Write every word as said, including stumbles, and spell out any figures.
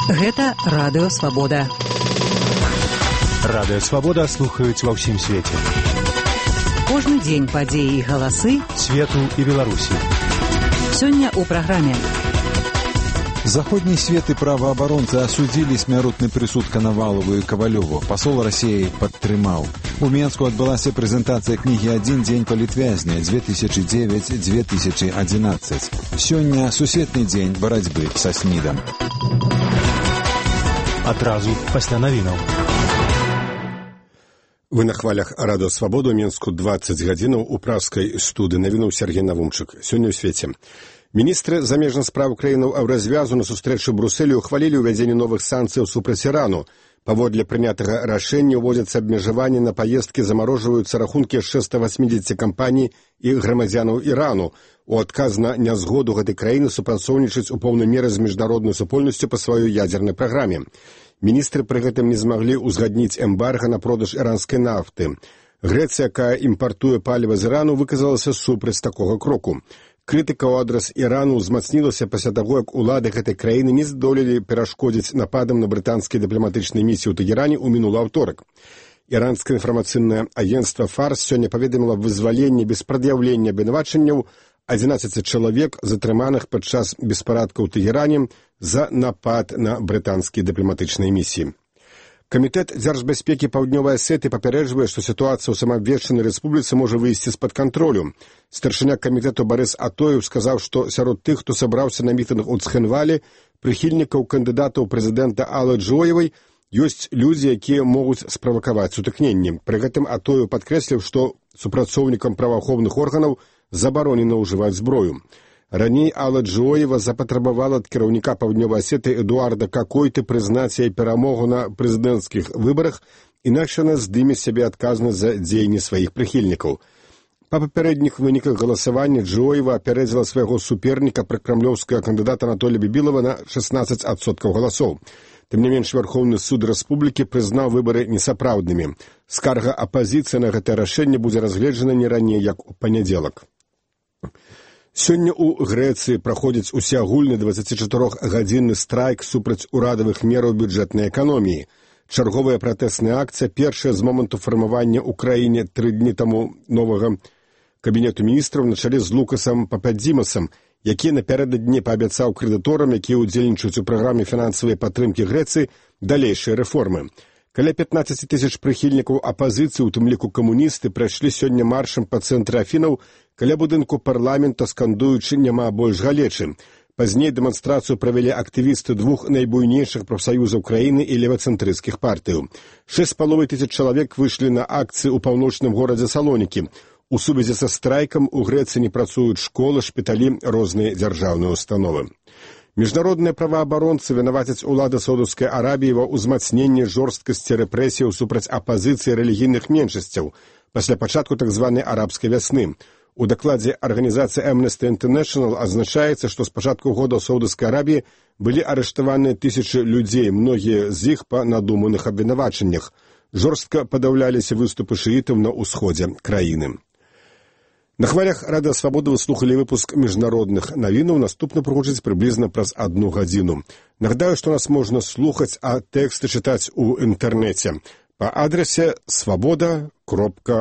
Гэта Радыё Свабода. Радыё Свабода слухаюць ва ўсім свеце. Кожны дзень падзеі і галасы свету і Беларусі. Сёння ў праграме. Заходний свет и правооборонцы осудили смяротны прысуд Коновалову и Ковалеву. Посол России падтрымаў. У Менску адбылася прэзентацыя кнігі «Адзін дзень палітвязня две тысячи девять - две тысячи одиннадцать». Сёння сусветны дзень барацьбы са СНИДам. Адразу пасля навінаў. Вы на хвалях Радыё Свабода, у Менску двадцать гадзінаў, у пражскай студыі навінаў Сергей Навумчык. Сёння ў свеце. Міністры замежных спраў краінаў Еўразвязу на сустрэчы ў Брусэлі ухвалілі ўвядзенне новых санкцыяў супраць Ірану. Паводле прынятага рашэння ўводзяцца абмежаванні на паездкі, замарожваюцца рахункі яшчэ ста восьмидесяти кампаній і грамадзянаў Ірану. У адказ на нязгоду гэтай краіны супрацоўнічаць у поўнай меры з міжнароднай супольнасцю па сваёй ядзернай праграме. Міністры пры гэтым не змаглі ўзгадніць эмбарга на продаж іранскай нафты. Грэцыя, якая імпартуе паліва з Ірану, выказалася супраць такога кроку. Крытыка ў адрас Ірану ўзмацнілася пасля таго, як улады гэтай краіны не здолелі перашкодзіць нападам на брытанскія дыпламатычныя місіі ў Тэгеране ў мінулы аўторак. Іранскае інфармацыйнае агенцтва Фарс сёння паведаміла вызваленне без прад'яўлення абвінавачанняў адзінаццаці чалавек, затрыманых падчас беспарадка ў Тэгеране за напад на брытанскія дыпламатычныя місіі. Камітэт дзяржбяспекі Паўднёвай Асеты папярэджвае, што сітуацыя ў самаабвешчанай рэспубліцы можа выйсці з-пад кантролю. Старшыня камітэту Барыс Атоеў сказаў, што сярод тых, хто сабраўся на мітынг у Цхінвалі, прыхільнікаў кандыдатаў прэзідэнта Аллы Джоевай, ёсць людзі, якія могуць справакаваць сутыкненні. Пры гэтым Атоеў падкрэсліў, што супрацоўнікам праваахоўных органаў забаронена ўжываць зброю. Раней Алла Джоева запатрабавала ад кіраўніка Паўднёвай Асеты Эдуарда Какойты прызнаць яе перамогу на прэзідэнцкіх выбарах, інакш яна здыме сябе адказнасць за дзеянні сваіх прыхільнікаў. Па папярэдніх выніках галасавання Джоева апярэдзіла свайго суперніка пракрамлёўскага кандыдата Анатолія Бібілава на шестнадцать адсоткаў галасоў. Тым не менш, Вярхоўны суд рэспублікі прызнаў выбары несапраўднымі. Скарга апазіцыі на гэтае рашэнне будзе разгледжана не раней, як у панядзелак. Сёння ў Грэцыі праходзіць усеагульны дваццацічатырохгадзінны страйк супраць урадавых мераў бюджэтнай эканоміі. Чарговая пратэсная акцыя, першая з моманту фармавання ў краіне тры дні таму новага кабінету міністраў на чале з Лукасам Пападзімасам, які напярэдадні паабяцаў крэдыторам, якія ўдзельнічаюць у праграме фінансавай падтрымкі Грэцыі, далейшыя рэформы. Каля пятнадцать тысяч прыхільнікаў апазіцыі, у тым ліку камуністы, прайшлі сёння маршам па цэнтры Афінаў каля будынку парламента, скандуючы «Няма больш галечы». Пазней дэманстрацыю правялі актывісты двух найбуйнейшых прафсаюзаў краіны і левацэнтрысцкіх партыяў. Шэсць з паловай тысяч чалавек выйшлі на акцыі ў паўночным горадзе Салонікі. У сувязі са страйкам у Грэцыі не працуюць школы, шпіталі, розныя дзяржаўныя установы. Міжнародныя праваабаронцы вінавацяць улады Саудаўскай Арабіі ва ўзмацненні жорсткасці рэпрэсіяў супраць апазіцыі рэлігійных меншасцяў пасля пачатку так званай арабскай вясны. У дакладзе арганізацыі Amnesty International азначаецца, што з пачатку года ў Саудаўскай Арабіі былі арыштаваныя тысячы людзей, многія з іх па надуманых абвінавачаннях. Жорстка падаўляліся выступы шыітаў на ўсходзе краіны. На хвалях Радыё Свабода вы слухалі выпуск міжнародных навінаў. Наступны прагучыць прыблізна праз адну гадзіну. Нагадаю, што нас можна слухаць, а тэксты чытаць у інтэрнэце па адрасе свабода кропка